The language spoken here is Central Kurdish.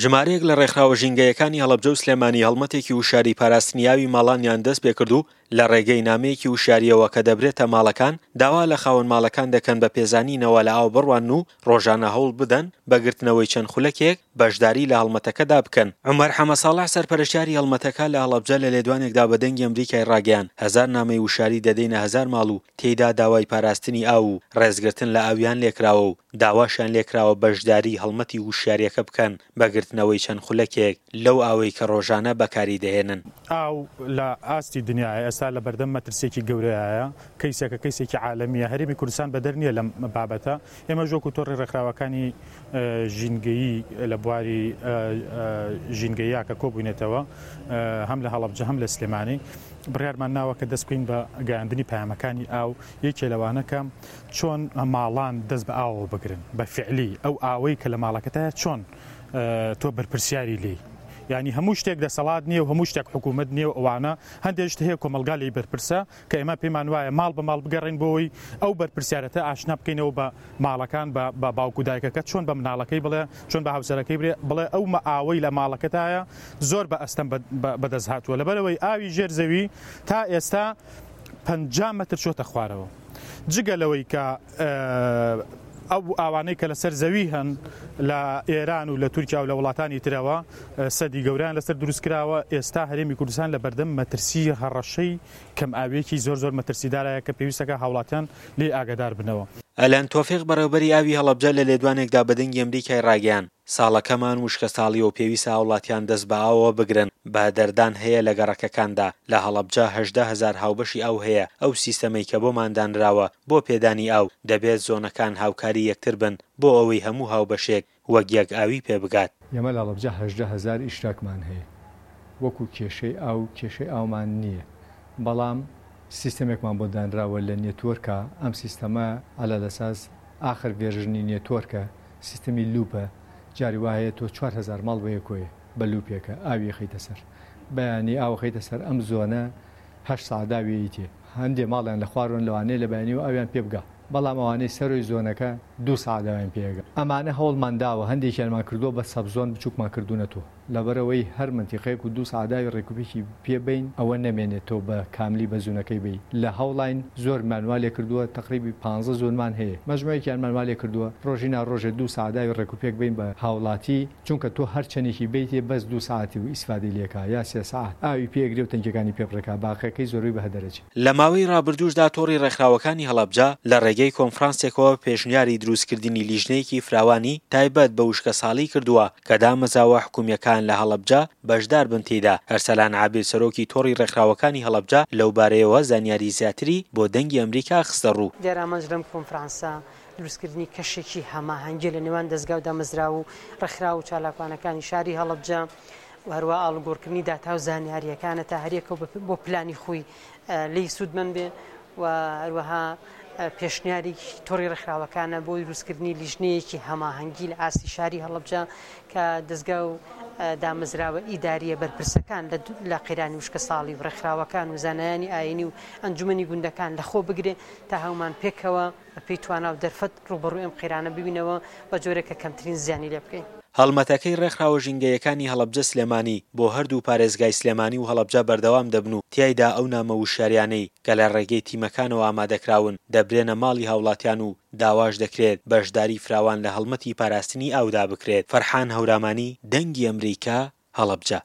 ژمارەیەک لە ڕێکخراوە ژینگەیەکانی هەڵەبجە و سلێمانی هەڵمەتێکی وشیاری پاراستنی ئاوی ماڵانیان دەستپێکرد و لە ڕێگەی نامەیەکی وشیارییەوە کە دەبرێتە ماڵەکان داوا لە خاوەن ماڵەکان دەکەن بە پێزانینەوە لە ئاو بڕوانن و ڕۆژانە هەوڵ بدەن بە گرتنەوەی چەند خولەکێک بەشداری لە هەڵمەتەکەدا بکەن. عومەر حەمەساڵح سەرپەرشتیاری هەڵمەتەکە لە هەڵەبجە لە لێدوانێکدا بە دەنگی ئەمریکای ڕاگەیاند، هەزار نامەی وشیاری دەدەینە هەزار ماڵ و تێیدا داوای پاراستنی ئاو و ڕێزگرتن لە ئاویان لێکراوە و داواشیان لێکراوە بەشداری هەڵمەتی وشیارییەکە بکەن بە گرتنەوەی چەند خولەکێک لەو ئاوەی کە ڕۆژانە بەکاری دەهێنن. ئاو لە ئاستی دنیایە ئێستا لە بەردەم مەترسییەکی گەورەیایە، کەیسێکە کەیسێکی عالەمییە، هەرێمی کوردستان بەدەر نییە لەم بابەتە، ئێمەش وەکو تۆڕی ڕێکخراوەکانی ژینگەیی لە بواری ژینگەییا کە کۆبووینەتەوە هەم لە هەڵەبجە هەم لە سلێمانی بڕیارمان ناوە کە دەست بکەین بە گەیاندنی پەیامەکانی ئاو یەکێ لەوانە کە چۆن ماڵان دەست بە ئاوەوە بگرن بە فعلی ئەو ئاوەی کە لە ماڵەکەتایە چۆن تۆ بەرپرسیاری لێی یانی هەموو شتێک دەسەڵات نییە و هەموو شتێک حکوومەت نییە و ئەوانە هەندێک شت هەیە کۆمەڵگا لێی بەرپرسە کە ئێمە پێمان وایە ماڵ بە ماڵ بگەڕێین بۆ ئەوەی ئەو بەرپرسیارەتە ئاشنا بکەینەوە بە ماڵەکان بە باوک و دایکەکە چۆن بە مناڵەکەی بڵێ چۆن بە هاوسەرەکەی بڵێ بڵێ ئەو ئاوەی لە ماڵەکەتایە زۆر بە ئەستەم بەدەست هاتووە لەبەرئەوەی ئاوی ژێر زەوی تا ئێستا 50 مەتر چۆتە خوارەوە جگە لەوەی کە ئەو ئاوانەی کە لەسەر زەوی هەن لە ئێران و لە تورکیا و لە وڵاتانی ترەوە سەدی گەورەیان لەسەر دروست کراوە ئێستا هەرێمی کوردستان لە بەردەم مەترسی هەڕەشەی کەم ئاویەکی زۆر زۆر مەترسیدارایە کە پێویستەکە هاوڵاتیان لێی ئاگادار بنەوە. ئەلەند تۆفیق بەڕێوبەری ئاوی هەڵەبجە لە لێدوانێکدا بە دەنگی ئەمریکای ڕاگەیاند، ساڵەکەمان وشکەساڵیە و پێویستە هاوڵاتیان دەست بە ئاوەوە بگرن، بەهەدەردان هەیە لە گەڕەکەکاندا، لە هەڵەبجە 18 هەزار هاوبەشی ئاو هەیە، ئەو سیستەمەی کە بۆمان دانراوە بۆ پێدانی ئاو، دەبێت زۆنەکان هاوکاری یەکتر بن بۆ ئەوەی هەموو هاوبەشێک وەک یەک ئاوی پێ بگات. ئێمە لە هەڵەبجە 18 هەزار ئیشتراکمان هەیە، وەکو کێشەی ئاو کێشەی ئاومان نییە، بەڵام سیستەمێکمان بۆ دانراوە لە نێتۆرکا، ئەم سیستەمە عەلا لەساس ئاخر ڤێرژنی نێتۆرکە، سیستەمی لوپە، جاری وا هەیە تۆ 4000 ماڵ بەیەکۆیە بە لوپێکە ئاوی ئەخەیتە سەر، بەیانی ئاو ئەخەیتە سەر ئەم زۆنە هەشت سەعات ئاوی ئەیتێ، هەندێ ماڵیان لە خوارۆن لەوانەیە لە بەیانیەوە ئاویان پێ بگا، بەڵام ئەوانەی سەرۆی زۆنەکە دوو سەعات ئاویان پێ ئەگا. ئەمانە هەوڵمان داوە هەندێکیانمان کردووە بە sub zone بچووکمان کردوونەتۆ، لەبەرئەوەی هەر مەنتیقەیەک و دوو سەعات ئاوی ڕێکوپێکی پێ بەین ئەوە نەمێنێت تۆ بە کاملی بە زونەکەی بەی لە هەوڵاین زۆرمان وا لێ کردووە تەقریبی پانزە زۆنمان هەیە مەجموعێکیانمان وا لێ کردووە ڕۆژی نا ڕۆژێ دوو سەعات ئاوی ڕێکوپێک بەین بە هاوڵاتی چونکە تۆ هەر چەنێکی بەیتێ بەس دوو سەعاتی و ئیسفادەی لێ کا یا سێ سەعات ئاوی پێ ئەگرێ و تەنکیەکانی پێ پڕێکا باقیەکەی زۆربەی بە هەدەر ئەچێ. لە ماوەی ڕابردووشدا تۆڕی ڕێکخراوەکانی هەڵەبجە لە ڕێگەی کۆنفرانسێکەوە پێشنیاری دروستکردنی لیژنەیەکی فراوانی تایبەت بە وشکەساڵی کردووە کە دامەزراوە حکومییەکان لە هەڵەبجە بەشدار بن تێیدا، ئەرسەلان عابید سەرۆکی تۆڕی ڕێکخراوەکانی هەڵەبجە لەوبارەیەوە زانیاری زیاتری بۆ دەنگی ئەمریکا خستەڕوو. دیارە ئامانج لەم کۆنفرانسە دروستکردنی کەشێکی هەماهەنگیە لە نێوان دەزگا و دامەزراو و ڕێکخراو و چالاکوانەکانی شاری هەڵەبجە و هەروە ئاڵوگۆڕکردنی داتا و زانیارییەکانە تا هەریەکە بۆ پلانی خۆی لێی سوودمەند بێ و هەروەها پێشنیاری تۆڕی ڕێکخراوەکانە بۆ دروستکردنی لیژنەیەکی هەماهەنگی لە ئاستی شاری هەڵەبجە کە دەزگا و دامەزراوە ئیدارییە بەرپرسەکان لە قەیرانی وشکەساڵی و ڕێکخراوەکان و زانایانی ئایینی و ئەنجومەنی گوندەکان لەخۆ بگرێ تا هەموومان پێکەوە بەپێی توانا و دەرفەت ڕووبەڕووی ئەم قەیرانە ببینەوە بە جۆرێک کە کەمترین زیانی لێ بکەین. هەڵمەتەکەی ڕێکخراوە ژینگەیەکانی هەڵەبجە سلێمانی بۆ هەردوو پارێزگای سلێمانی و هەڵەبجە بەردەوام دەبن و تیایدا ئەو نامە وشیاریانەی کە لە ڕێگەی تیمەکانەوە ئامادەکراون دەبرێنە ماڵی هاوڵاتیان و داواش دەکرێت بەشداری فراوان لە هەڵمەتی پاراستنی ئاودا بکرێت. فەرحان هەورامانی، دەنگی ئەمریکا، هەڵەبجە.